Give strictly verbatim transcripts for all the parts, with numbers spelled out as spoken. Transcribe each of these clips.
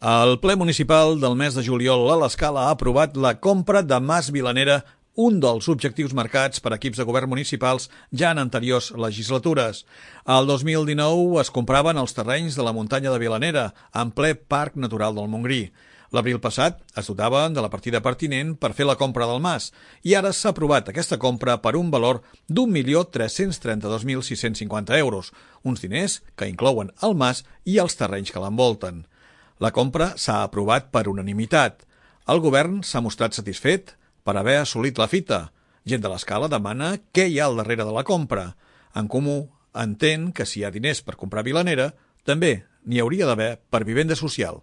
El ple municipal del mes de juliol a l'Escala ha aprovat la compra de Mas Vilanera, un dels objectius marcats per equips de govern municipals ja en anteriors legislatures. El dos mil dinou es compraven els terrenys de la muntanya de Vilanera, en ple Parc Natural del Montgrí. L'abril passat es dotaven de la partida pertinent per fer la compra del mas i ara s'ha aprovat aquesta compra per un valor d'un milió tres-cents trenta-dos mil sis-cents cinquanta euros, uns diners que inclouen el mas i els terrenys que l'envolten. La compra s'ha aprovat per unanimitat. El govern s'ha mostrat satisfet per haver assolit la fita. Gent de l'Escala demana què hi ha al darrere de la compra. En Comú entén que si hi ha diners per comprar Vilanera, també n'hi hauria d'haver per vivenda social.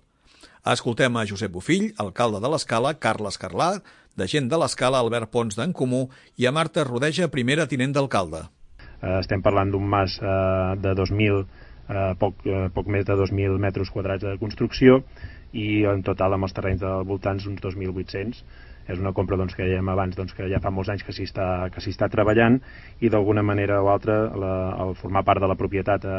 Escoltem a Josep Bofill, alcalde de l'Escala, Carles Carlà, de Gent de l'Escala, Albert Pons d'en Comú i a Marta Rodeja, primera tinent d'alcalde. Estem parlant d'un mas de dos mil, poc, poc més de dos mil metres quadrats de construcció i en total amb els terrenys del voltants uns dos mil vuit-cents. És una compra doncs, que dèiem abans doncs, que ja fa molts anys que s'hi està, que s'hi està treballant i d'alguna manera o altra la, el formar part de la propietat eh,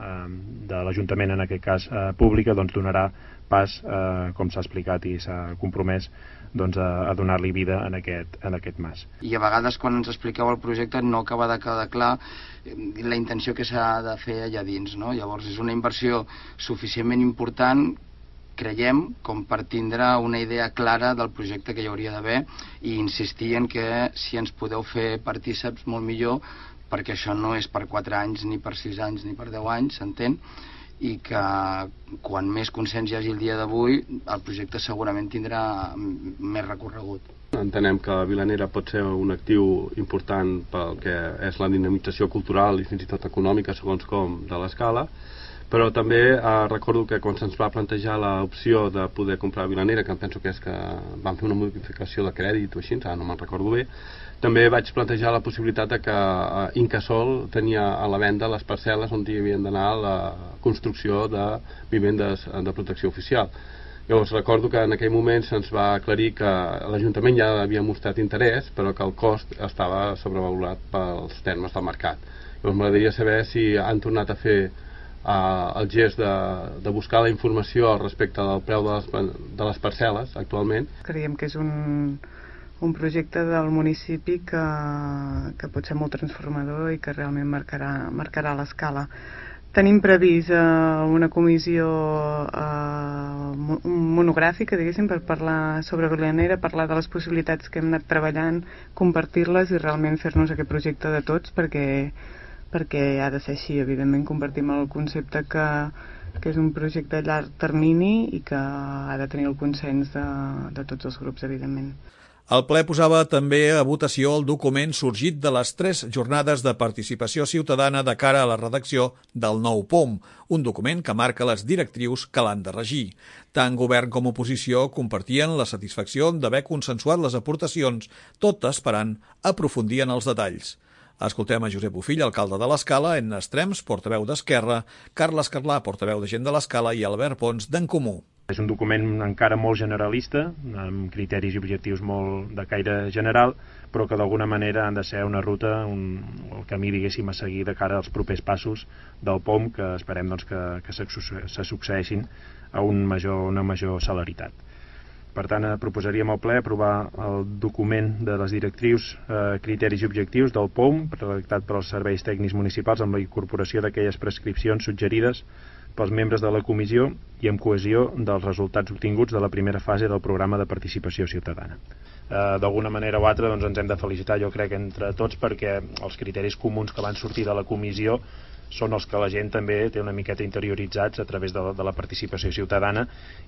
eh, de l'Ajuntament, en aquest cas eh, pública, doncs, donarà pas, eh, com s'ha explicat i s'ha compromès, doncs, a, a donar-li vida en aquest, en aquest mas. I a vegades quan ens expliqueu el projecte no acaba de quedar clar la intenció que s'ha de fer allà dins, no? Llavors és una inversió suficientment important, creiem, com per tindre una idea clara del projecte que hi hauria d'haver i insistir en que si ens podeu fer partíceps molt millor, perquè això no és per quatre anys, ni per sis anys, ni per deu anys, s'entén, i que quan més consens hi hagi el dia d'avui, el projecte segurament tindrà més recorregut. Entenem que Vilanera pot ser un actiu important pel que és la dinamització cultural i fins i tot econòmica, segons com, de l'Escala, però també eh, recordo que quan se'ns va plantejar l'opció de poder comprar Vilanera, que em penso que és que van fer una modificació de crèdit o així, ara no me'n recordo bé, també vaig plantejar la possibilitat de que eh, Incasòl tenia a la venda les parcel·les on hi havien d'anar la construcció de vivendes de protecció oficial. Llavors recordo que en aquell moment se'ns va aclarir que l'Ajuntament ja havia mostrat interès, però que el cost estava sobrevalorat pels termes del mercat. Llavors m'agradaria saber si han tornat a fer Uh, el gest de, de buscar la informació al respecte del preu de les, de les parcel·les actualment. Creiem que és un, un projecte del municipi que, que pot ser molt transformador i que realment marcarà, marcarà l'Escala. Tenim previst uh, una comissió uh, monogràfica, diguéssim, per parlar sobre Vilanera, parlar de les possibilitats que hem anat treballant, compartir-les i realment fer-nos aquest projecte de tots, perquè perquè ha de ser així. Evidentment compartim el concepte que, que és un projecte a llarg termini i que ha de tenir el consens de, de tots els grups, evidentment. El ple posava també a votació el document sorgit de les tres jornades de participació ciutadana de cara a la redacció del nou P O M, un document que marca les directrius que l'han de regir. Tant govern com oposició compartien la satisfacció d'haver consensuat les aportacions, tot esperant aprofundir en els detalls. Escoltem a Josep Bofill, alcalde de l'Escala, Edna Estrems, portaveu d'Esquerra, Carles Carlà, portaveu de Gent de l'Escala i Albert Pons d'en Comú. És un document encara molt generalista, amb criteris i objectius molt de caire general, però que d'alguna manera han de ser una ruta, un, el camí, diguéssim, a seguir de cara als propers passos del P O M, que esperem doncs, que, que se, se succeeixin a un major, una major celeritat. Per tant, proposaríem al ple aprovar el document de les directrius, eh, criteris i objectius del P O M, redactat pels serveis tècnics municipals amb la incorporació d'aquelles prescripcions suggerides pels membres de la comissió i amb cohesió dels resultats obtinguts de la primera fase del programa de participació ciutadana. Eh, D'alguna manera o altra doncs, ens hem de felicitar, jo crec, entre tots, perquè els criteris comuns que van sortir de la comissió són els que la gent també té una miqueta interioritzats a través de la, de la participació ciutadana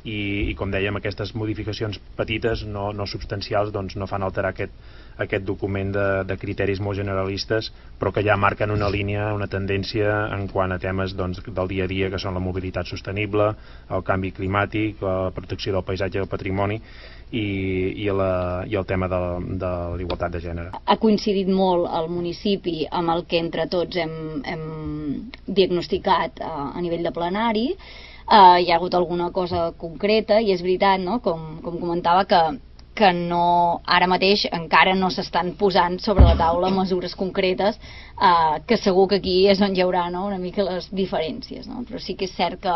i, i com dèiem, aquestes modificacions petites, no, no substancials, doncs no fan alterar aquest, aquest document de, de criteris molt generalistes, però que ja marquen una línia, una tendència en quant a temes doncs, del dia a dia, que són la mobilitat sostenible, el canvi climàtic, la protecció del paisatge i del patrimoni, i, i, la, i el tema de, de l'igualtat de gènere. Ha coincidit molt el municipi amb el que entre tots hem, hem diagnosticat a, a nivell de plenari. Uh, hi ha hagut alguna cosa concreta i és veritat, no? com, com comentava, que, que no, ara mateix encara no s'estan posant sobre la taula mesures concretes, uh, que segur que aquí és on hi haurà, no? Una mica les diferències, no? Però sí que és cert que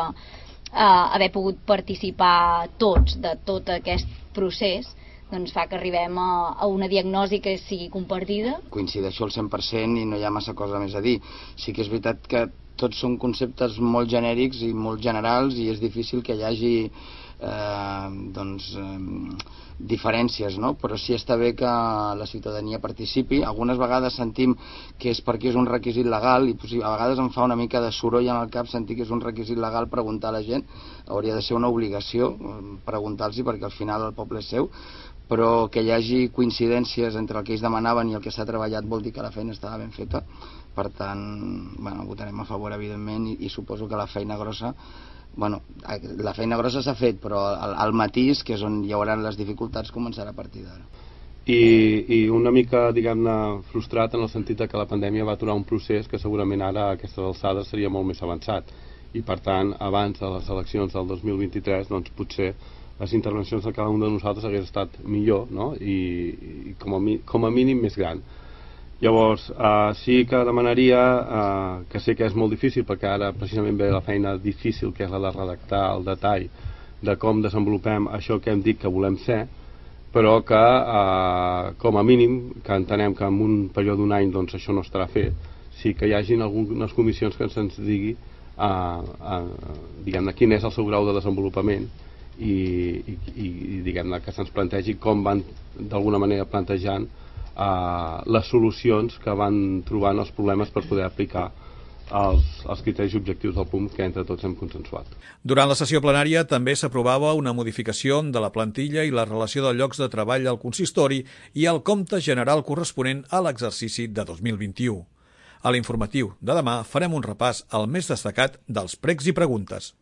haver pogut participar tots de tot aquest procés doncs fa que arribem a, a una diagnosi que sigui compartida. Coincideixo al cent per cent i no hi ha massa cosa més a dir. Sí que és veritat que tots són conceptes molt genèrics i molt generals i és difícil que hi hagi eh, doncs, eh, diferències, no? Però sí està bé que la ciutadania participi. Algunes vegades sentim que és perquè és un requisit legal i a vegades em fa una mica de soroll en el cap sentir que és un requisit legal preguntar a la gent. Hauria de ser una obligació preguntar-los perquè al final el poble és seu, però que hi hagi coincidències entre el que ells demanaven i el que s'ha treballat vol dir que la feina estava ben feta. Per tant, bueno, votarem a favor, evidentment, i, i suposo que la feina grossa, bueno, la feina grossa s'ha fet, però el, el matís, que és on hi haurà les dificultats, començarà a partir d'ara. I, i una mica, diguem-ne, frustrat en el sentit de que la pandèmia va aturar un procés que segurament ara a aquestes alçades seria molt més avançat. I, per tant, abans de les eleccions del dos mil vint-i-tres, doncs potser les intervencions de cada un de nosaltres hagués estat millor, no? I, i com, a mi, com a mínim més gran. Llavors, eh, sí que demanaria, eh, que sé que és molt difícil perquè ara precisament ve la feina difícil que és la de redactar el detall de com desenvolupem això que hem dit que volem ser, però que eh, com a mínim, que entenem que en un període d'un any doncs, això no estarà fet, sí que hi hagin algunes comissions que ens digui eh, eh, diguem-ne quin és el seu grau de desenvolupament i, i, i diguem-ne que se'ns plantegi com van d'alguna manera plantejant uh, les solucions que van trobant els problemes per poder aplicar els, els criteris objectius del P U M que entre tots hem consensuat. Durant la sessió plenària també s'aprovava una modificació de la plantilla i la relació de llocs de treball al consistori i el compte general corresponent a l'exercici de dos mil vint-i-u. A l'informatiu de demà farem un repàs al més destacat dels pregs i preguntes.